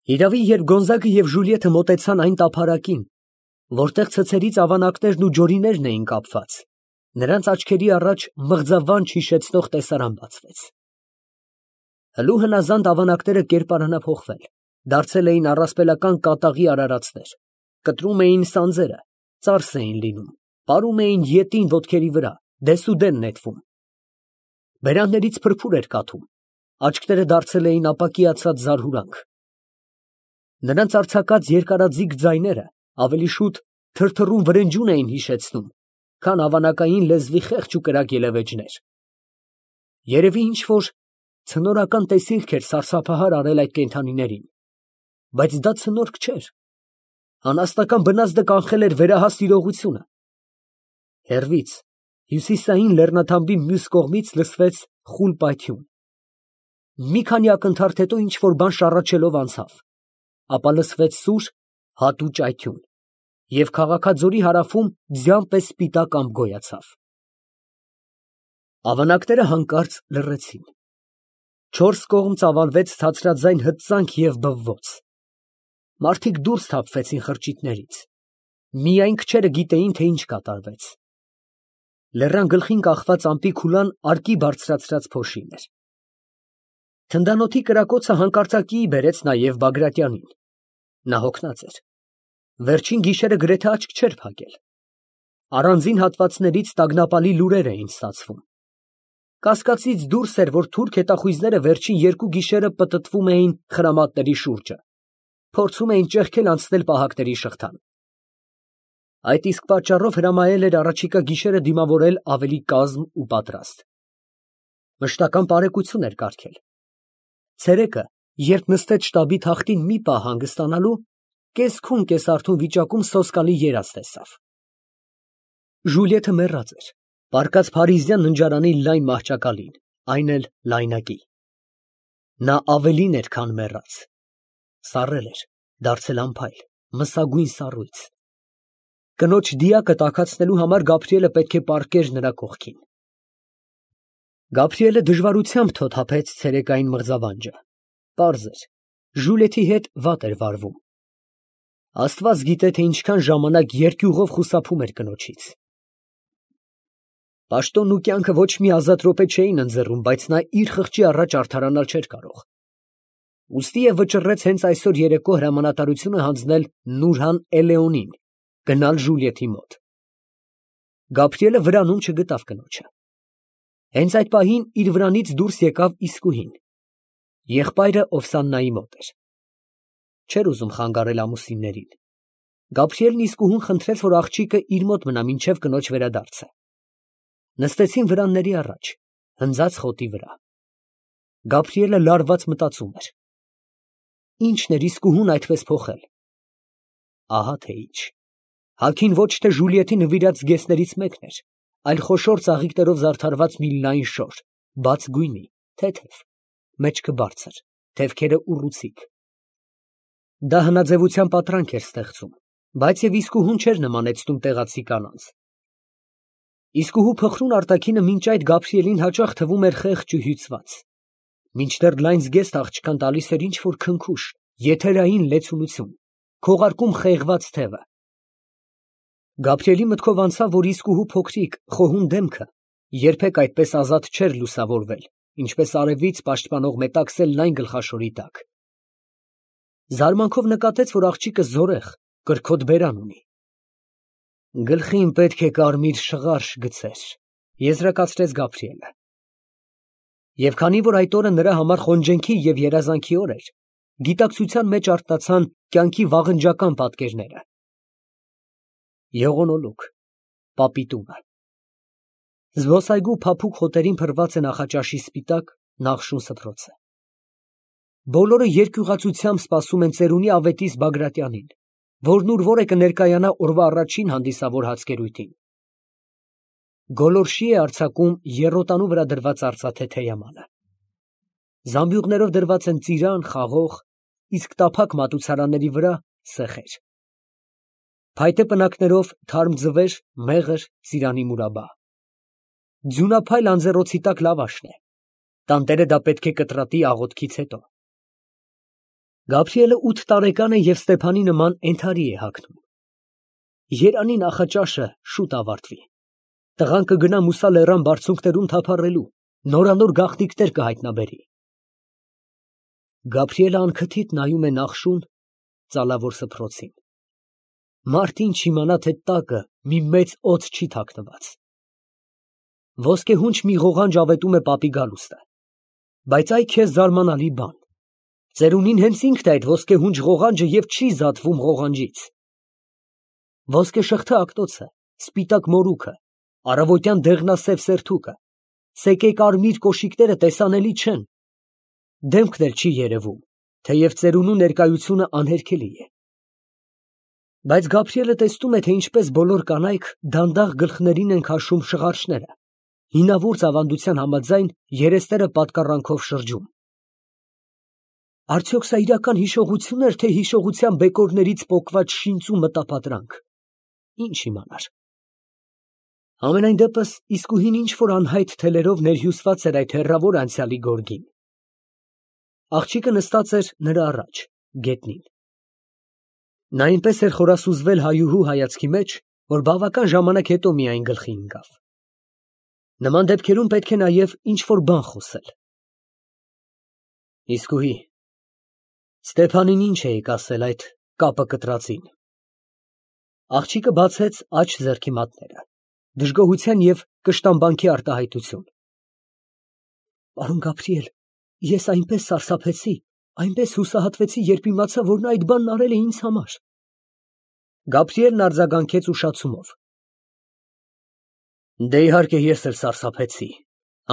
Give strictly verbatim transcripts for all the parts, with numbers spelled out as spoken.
Երևի, երբ Գոնզագը և Ժուլիետը մոտեցան այն տափարակին, որտեղ ցցերից ավանակներն ու ջորիներն էին կապված, նրանց աչքերի առաջ մղձավանջ հիշեցնող տեսարան բացվեց. հլու հնազանդ ավանակները կերպարանափոխվել, դարձել էին առասպելական կատաղի արարածներ, կտրում էին սանձերը, ծարս էին լինում, պարում էին ետին ոտքերի վրա, դեսուդեն նետվում. բերաններից փրփուր էր կաթում, աչքերը դարձել էին ապակիացած զարհուրանք. նրանց արձակած երկարաձիգ ձայները ավելի շուտ թրթռուն վրնջյուն էին հիշեցնում, քան ավանակային լեզվի խեղճ ու կրակ ելևէջներ. երևի ինչ֊որ ցնորական տեսիլք էր սարսափահար արել այդ կենդանիներին, բայց դա ցնորք չէր, անասնական բնազդը կանխել էր վերահաս իրողությունը. հեռվից, հյուսիսային լեռնաթամբի մյուս կողմից լսվեց խուլ պայթյուն, մի քանի ակնթարթ հետո ինչ֊որ բան շառաչելով անցավ, ապա լսվեց սուր, հատու ճայթյուն, և քաղաքաձորի հարավում ձյան պես սպիտակ ամպ գոյացավ։ Ավանակները հանկարծ լռեցին, չորս կողմ ծավալվեց ցածրաձայն հրծանք և բվոց, մարդիկ դուրս թափվեցին խրճիթներից, միայն քչերը գիտեին, թե ինչ կատարվեց։ Լեռան գլխին կախված ամպի քուլան արկի բարձրացրած փոշին էր։ Թնդանոթի կրակոցը հանկարծակիի բերեց նաև Բագրատյանին, նա հոգնած էր, վերջին գիշերը գրեթե աչք չէր փակել, առանձին հատվածներից տագնապալի լուրեր էին ստացվում, կասկածից դուրս էր, որ թուրք հետախույզները վերջին երկու գիշերը պտտվում էին խրամատների շուրջը, փորձում էին ճեղքել անցնել պահակների շղթան։ Այդ իսկ պատճառով հրամայել էր առաջիկա գիշերը դիմավորել ավելի կազմ ու պատրաստ։ Մշտական պարեկություն էր կարգել։ Ցերեկը, երբ նստեց շտաբի թախտին մի պահ հանգստանալու, կես֊քուն կես֊արթուն վիճակում սոսկալի երազ տեսավ։ Ժուլիետը մեռած էր, պառկած փարիզյան ննջարանի լայն մահճակալին, այն էլ լայնակի։ Նա ավելին էր, քան մեռած, սառել էր, դարձել անփայլ, մսագույն սառույց։ Կնոջ դիակը տաքացնելու համար Գաբրիելը պետք է պառկեր նրա կողքին։ Գաբրիելը դժվարությամբ թոթափեց ցերեկային մղձավանջը, պարզ էր, Ժուլիետի հետ վատ էր վարվում։ Աստված գիտե, թե ինչքան ժամանակ երկյուղով խուսափում էր կնոջից։ Պաշտոնն ու կյանքը ոչ մի ազատ րոպե չէին ընձեռում, բայց նա իր խղճի առաջ արդարանալ չէր կարող։ Ուստիև վճռեց հենց այսօր երեկո հրամանատարությունը հանձնել Նուրհան Էլեոնին գնալ Ժուլիետի մոտ։ Գաբրիելը վրանում չգտավ կնոջը։ Հենց այդ պահին իր վրանից դուրս եկավ Իսկուհին, եղբայրը Օվսաննայի մոտ էր։ Չէր ուզում խանգարել ամուսիններին։ Գաբրիելն Իսկուհուն խնդրեց, որ աղջիկը իր մոտ մնա մինչև կնոջ վերադարձը։ Նստեցին վրանների առաջ, հնձած խոտի վրա։ Գաբրիելը լարված մտածում էր. ինչն էր Իսկուհուն այդպես փոխել։ Ահա թե ինչ։ Հագին ոչ թե Ժուլիետի նվիրած զգեստներից մեկն էր, այլ խոշոր ծաղիկներով զարդարված մի լայն շոր, բաց գույնի, թեթև, մեջքը բարձր, թևքերը ուռուցիկ։ Դա հնաձևության պատրանք էր ստեղծում, բայց և Իսկուհուն չէր նմանեցնում տեղացի կանանց։ Իսկուհու փխրուն արտաքինը մինչ այդ Գաբրիելին հաճախ թվում էր խեղճ ու հյուծված, մինչդեռ լայն զգեստ աղջկան տալիս էր ինչ֊որ քնքուշ, եթերային լեցունություն, քողարկում խեղված թևը։ Գաբրիելի մտքով անցավ, որ Իսկուհու փոքրիկ, խոհուն դեմքը երբեք այդպես ազատ չէր լուսավորվել, ինչպես արևից պաշտպանող մետաքսել լայն գլխաշորի տակ։ Զարմանքով նկատեց, որ աղջիկը զորեղ, կրքոտ բերան ունի։ Գլխին պետք է կարմիր շղարշ գցեր, եզրակացրեց Գաբրիելը։ Եվ քանի որ այդ օրը նրա համար խոնջենքի և երազանքի օր էր, գիտակցության մեջ արթնացան կյանքի վաղնջական պատկերները։ Եղունոլուք, պապի տունը։ Զբոսայգու փափուկ հոտերին փռված է նախաճաշի սպիտակ նախշուն սփռոցը։ Բոլորը երկյուղացությամբ սպասում են ծերունի ավետիս Բագրատյանին, որն ուր որ է կներկայանա օրվա առաջին հանդիսավոր հացկերույթին։ Գոլորշի է արձակում եռոտանու վրա դրված արծաթե թեյամանը։ Զամբյուղներով դրված են ծիրան, խաղող, իսկ տափակ մատուցարանների վրա սեխեր։ Փայտե պնակներով թարմ ձվեր, մեղր, ծիրանի մուրաբա։ Ձյունափայլ անձեռոցի տակ լավաշն է։ Տանտերը դա պետք է կտրատի աղոթքից հետո։ Գաբրիելը ութ տարեկան է և Ստեփանի նման ենթարի է հագնում։ Երանի նախաճաշը շուտ ավարտվի, տղան կգնա Մուսա լեռան բարձունքներում թափառելու, նորանոր գաղտնիքներ կհայտնաբերի։ Գաբրիելը անքթիթ նայում է նախշուն, ծալավոր սփռոցին։ Մարդ ինչ իմանա, թե տակը մի մեծ օձ չի թաքնված։ Ոսկեհունչ մի ղողանջ ավետում է պապի գալուստը, բայց այ քեզ զարմանալի բան. ծերունին հենց ինքն է այդ ոսկեհունչ ղողանջը և չի զատվում ղողանջից։ Ոսկեշղթա ակտոցը, սպիտակ մորուքը, առավոտյան դեղնասև սերթուկը, սեկե կարմիր կոշիկները տեսանելի չեն, դեմքն էլ չի երևում, թեև ծերունու ներկայությունը անհերքելի է։ Բայց Գաբրիելը տեսնում է, թե ինչպես բոլոր կանայք դանդաղ գլխներին են քաշում շղարշները, հինավուրց ավանդության համաձայն երեսները պատկառանքով շրջում։ Արդյոք սա իրական հիշողությո՞ւն էր, թե հիշողության բեկորներից պոկված շինծու մտապատրանք, ինչ իմանար։ Համենայն դեպս իսկույն ինչ֊որ անհայտ թելերով ներհյուսված էր այդ հեռավոր անցյալի գորգին։ Աղջիկը նստած էր նրա առաջ, գետնին։ Նա այնպես էր խորասուզվել հայուհու հայացքի մեջ, որ բավական ժամանակ հետո միայն գլխի ընկավ։ Նման դեպքերում պետք է նաև ինչ֊որ բան խոսել։ Իսկույն Ստեփանին ինչ էիք ասել այդ կապը կտրածին։ Աղջիկը բացեց աջ ձեռքի մատները, դժգոհության և կշտամբանքի արտահայտություն։ Պարոն Գաբրիել, ես այնպես սարսափեցի, այնպես հուսահատվեցի, երբ իմացա, որ նա այդ բանն արել է ինձ համար։ Գաբրիելն արձագանքեց ուշացումով։ Դե իհարկե ես էլ սարսափեցի,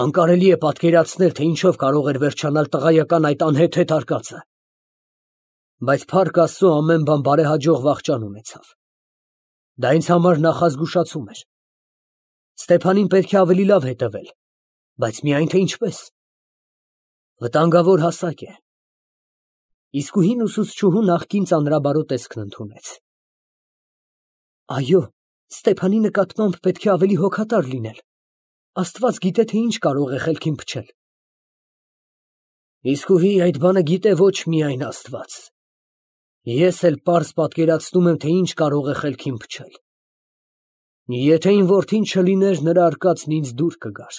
անկարելի է պատկերացնել, թե ինչով կարող էր վերջանալ տղայական այդ անհեթեթ արկածը։ Բայց փառք Աստծո ամեն բան բարեհաջող վախճան ունեցավ։ Դա ինձ համար նախազգուշացում էր։ Ստեփանին պետք է ավելի լավ հետևել, բայց միայն թե ինչպես։ Վտանգավոր հասակ է։ Իսկույն ուսուցչուհու նախկին ծանրաբարո տեսքն ընդունեց։ Այո, Ստեփանի նկատմամբ պետք է ավելի հոգատար լինել։ Աստված գիտե, թե ինչ կարող է խելքին փչել։ Իսկույն այդ բանը գիտե ոչ միայն Աստված։ Ես էլ պարզ պատկերացնում եմ, թե ինչ կարող է խելքին փչել։ Եթե իմ որդին չլիներ, նրա արկածն ինձ դուր կգար։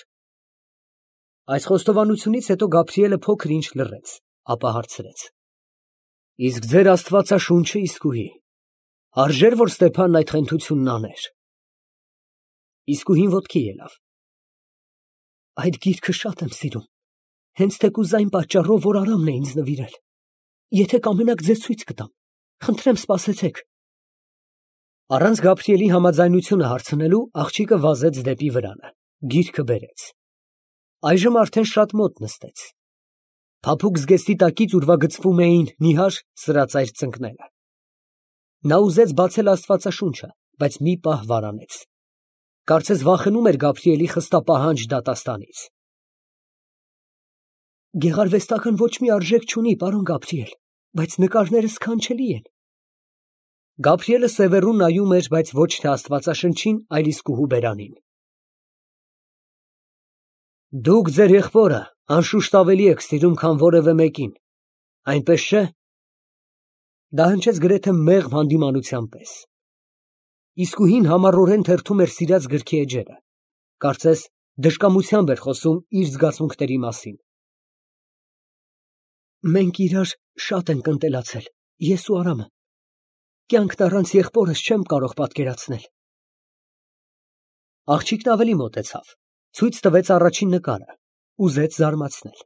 Այս խոստովանությունից հետո Գաբրիելը փոքր ինչ լռեց, ապա հարցրեց. Իսկ ձեր աստվածաշունչը իսկույն արժե՞ր, որ Ստեփանն այդ խենթությունն աներ։ Իսկույն ոտքի ելավ։ Այդ գիրքը շատ եմ սիրում, հենց թեկուզ այն պատճառով, որ Արամն է ինձ նվիրել։ Եթե կամենաք, ձեզ ցույց կտամ, խնդրեմ սպասեցեք։ Առանց Գաբրիելի համաձայնությունը հարցնելու, աղջիկը վազեց դեպի վրանը, գիրքը բերեց։ Այժմ արդեն շատ մոտ նստեց։ Փափուկ զգեստի տակից ուրվագծվում էին նիհար սրածայր ծնկները։ Նա ուզեց բացել աստվածաշունչը, բայց մի պահ վարանեց։ Կարծես վախենում էր Գաբրիելի խստապահանջ դատաստանից։ Գեղարվեստական ոչ մի արժեք չունի, պարոն Գաբրիել, բայց նկարները սքանչելի են։ Գաբրիելը սևեռուն նայում էր, բայց ոչ թե աստվածաշնչին, այլ իսկուհու բերանին։ Դուք ձեր եղբորը անշուշտ ավելի եք սիրում, քան որևէ մեկին, այնպես չէ՞։ Դա հնչեց գրեթե մեղմ հանդիմանության պես։ Իսկույն համառորեն թերթում էր սիրած գրքի էջերը, կարծես դժկամությամբ էր խոսում իր զգացմունքների մասին։ Մենք իրար շատ ենք ընտելացել, ես ու Արամը։ Կյանքն առանց եղբորս չեմ կարող պատկերացնել։ Աղջիկն ավելի մոտեցավ, ցույց տվեց առաջին նկարը, ուզեց զարմացնել։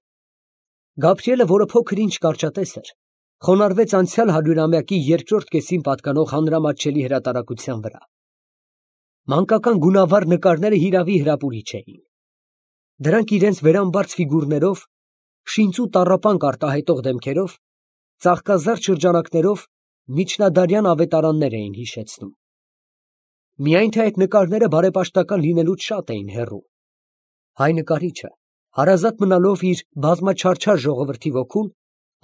Գաբրիելը, որը փոքր ինչ կարճատես էր, խոնարհվեց անցյալ հարյուրամյակի երկրորդ կեսին պատկանող հանրամատչելի հրատարակության վրա։ Մանկական գունավառ նկարները հիրավի հրապուրիչ էին։ Դրանք իրենց վերամբարձ ֆիգուրներով, շինծու տառապանք արտահայտող դեմքերով, ծաղկազարդ շրջանակներով միջնադարյան ավետարաններ էին հիշեցնում։ Միայն թե այդ նկարները բարեպաշտական լինելուց շատ էին հեռու։ Հայ նկարիչը, հարազատ մնալով իր բազմաչարչար ժողովրդի ոգուն,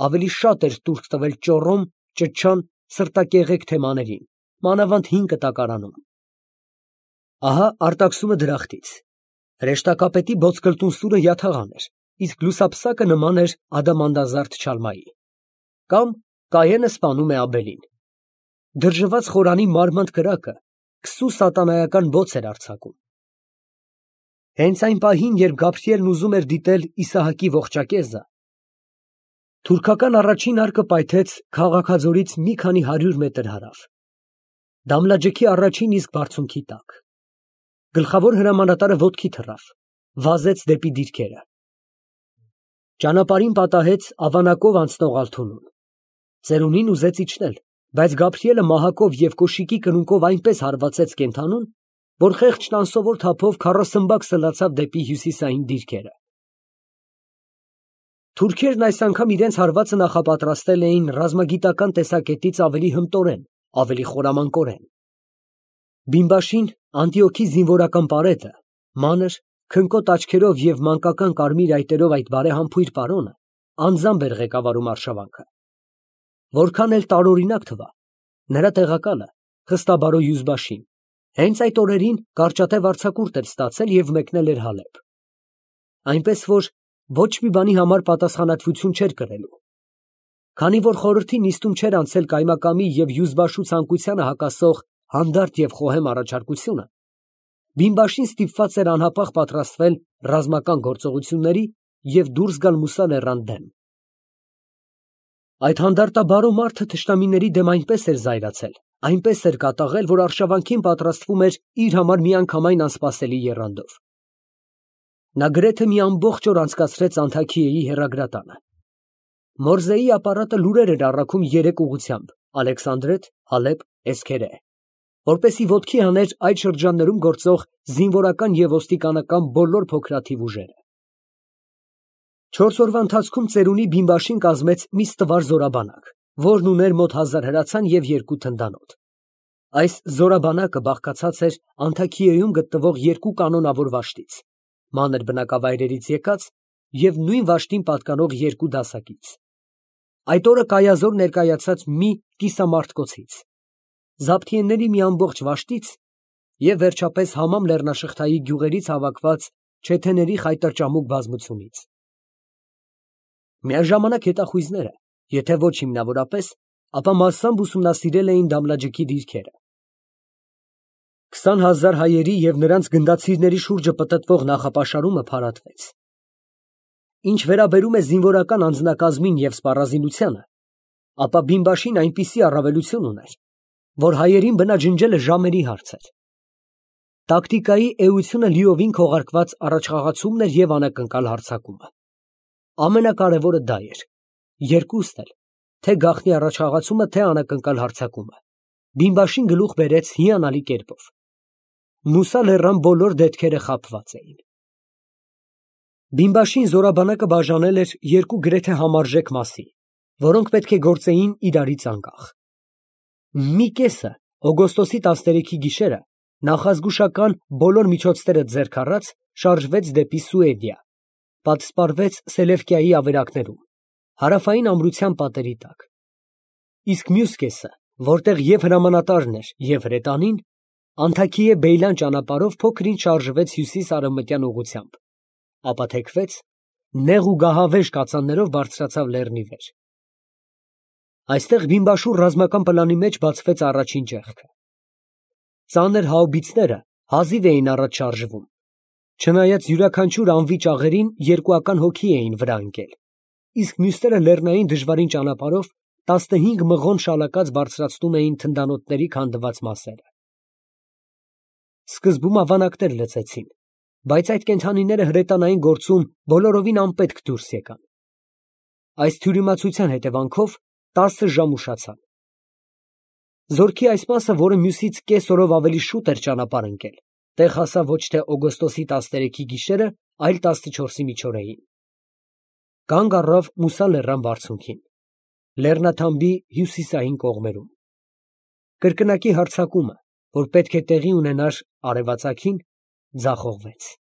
ավելի շատ էր տուրք տվել ճոռոմ, ճչան, սրտակեղեկ թեմաներին, մանավանդ հին կտակարանում։ Ահա արտաքսումը դրախտից։ Հրեշտակապետի ոսկլտուն սուրը յաթաղան էր, իսկ լուսափսակը նման էր ադամանդազարդ չալմայի, կամ Կայենը սպանում է Աբելին։ Դրժված խորանի մարմանդ կրակը քսու սատանայական բոց էր արձակում։ Հենց այն պահին, երբ Գաբրիելն ուզում էր դիտել Իսահակի ողջակեզը, թուրքական առաջին արկը պայթեց քաղաքաձորից մի քանի հարյուր մետր հարավ, Դամլաջեքի առաջին իսկ բարձունքի տակ։ Գլխավոր հրամանատարը ոտքի թռավ, վազեց դեպի դիրքերը։ Ճանապարհին պատահեց ավանակով անցնող Ալթունուն։ Ծերունին ուզեց իջնել, բայց Գաբրիելը մահակով և կոշիկի կնունկով այնպես հարվածեց կենդանուն, որ խեղճն անսովոր թափով քառասմբակ սլացավ դեպի հյուսիսային դիրքերը։ Թուրքերն այս անգամ իրենց հարվածը նախապատրաստել էին ռազմագիտական տեսակետից ավելի հմտորեն, ավելի խորամանկորեն։ Բիմբաշին, Անտիոքի զինվորական պարետը, մանր, քնկոտ աչքերով և մանկական կարմիր այտերով այդ բարեհամբույր պարոնը անձամբ էր ղեկավարում արշավանքը։ Որքան էլ տարօրինակ թվա, նրա տեղակալը խստաբարո Յուզբաշին հենց այդ օրերին կարճատև արձակուրդ էր ստացել և մեկնել էր Հալեբ։ Այնպես որ ոչ մի բանի համար պատասխանատվություն չէր կրելու։ Քանի որ խորհրդի նիստում չէր անցել կայմակամի և Յուզբաշու ցանկությանը հակասող հանդարտ և խոհեմ առաջարկությունը, Բիմբաշին ստիպված էր անհապաղ պատրաստվել ռազմական գործողությունների և դուրս գալ Մուսա լեռան դեմ։ Այդ հանդարտաբարո մարդը թշնամիների դեմ այնպես էր զայրացել, այնպես էր կատաղել, որ արշավանքին պատրաստվում էր իր համար միանգամայն անսպասելի եռանդով։ Նա գրեթե մի ամբողջ օր անցկացրեց Անթաքիեի հեռագրատանը։ Մորզեի ապարատը լուրեր էր առաքում երեք ուղղությամբ՝ Ալեքսանդրետ, Հալեբ, Էսքերե, որպեսզի ոտքի հաներ այդ շրջաններում գործող զինվորական և ոստիկանական բոլոր փոքրաթիվ ուժերը։ Չորս օրվա ընթացքում ծերունի Բիմբաշին կազմեց մի ստվար զորաբանակ, որն ուներ մոտ հազար հրացան և երկու թնդանոթ։ Այս զորաբանակը բաղկացած էր Անթաքիեում գտնվող երկու կանոնավոր վաշտից, մանր բնակավայրերից եկած և նույն վաշտին պատկանող երկու դասակից։ Այդ օրը կայազոր ներկայացած մի կիսամարտկոցից, Զաբթիեների մի ամբողջ վաշտից և վերջապես Համամ լեռնաշղթայի գյուղերից հավաքված չեթեների խայտառճամուկ բազմությունից։ Միաժամանակ հետախույզները, եթե ոչ հիմնավորապես, ապա մասամբ ուսումնասիրել էին Դամլաջեքի դիրքերը։ Քսան հազար հայերի և նրանց գնդացիրների շուրջը պտտվող նախապաշարումը փարատվեց։ Ինչ վերաբերում է զինվորական անձնակազմին և սպառազինությանը, ապա Բիմբաշին այնպիսի առավելություն ուներ, որ հայերին բնաջնջելը ժամերի հարց էր։ Տակտիկայի էությունը լիովին քողարկված առաջխաղացումն էր և անակնկալ հարձակումը։ Ամենակարևորը դա էր, երկուստ էլ, թե գաղտնի առաջխաղացումը, թե անակնկալ հարձակումը, Բիմբաշին գլուխ բերեց հիանալի կերպով։ Մուսա լեռան բոլոր դետքերը խաբված էին։ Բիմբաշին զորաբանակը բաժանել էր երկու գրեթե համարժեք մասի, որոնք պետք է գործեին իրարից անկախ։ Մի կեսը օգոստոսի տասներեքի գիշերը նախազգուշական բոլոր միջոցները ձեռք առած շարժվեց դեպի Սուեդիա, պատսպարվեց Սելևկիայի ավերակներում, հարավային ամրության պատերի տակ։ Իսկ մյուս կեսը, որտեղ և հրամանատարն էր, և հրետանին, Անթաքիե֊Բեյլան ճանապարհով փոքր-ինչ շարժվեց հյուսիս֊արևմտյան ուղղությամբ, ապա թեքվեց, նեղ ու գահավեժ կածաններով բարձրացավ լեռնի վեր։ Այստեղ Բիմբաշու ռազմական պլանի մեջ բացվեց առաջին ճեղքը։ Ծանր հաուբիցները հազիվ էին առաջ շարժվում, չնայած յուրաքանչյուր անվի ճաղերին երկուական հոգի էին վրա ընկել, իսկ մյուսները լեռնային դժվարին ճանապարհով տասնհինգ մղոն շալակած բարձրացնում էին թնդանոթների քանդված մասերը։ Սկզբում ավանակներ լծեցին, բայց այդ կենդանիները հրետանային գործում բոլորովին անպետք դուրս եկան։ Այս թյուրիմացության հետևանքով տասը ժամ ուշացան։ Զորքի այս մասը, որը մյուսից կես օրով ավելի շուտ էր ճանապարհ ընկել, տեղ հասավ ոչ թե օգոստոսի տասներեքի գիշերը, այլ տասնչորսի միջօրեին։ Կանգ առավ Մուսա լեռան բարձունքին, լեռնաթամբի հյուսիսային կողմերում։ Կրկնակի հարձակումը, որ պետք է տեղի ունենար արևածագին, ձախողվեց։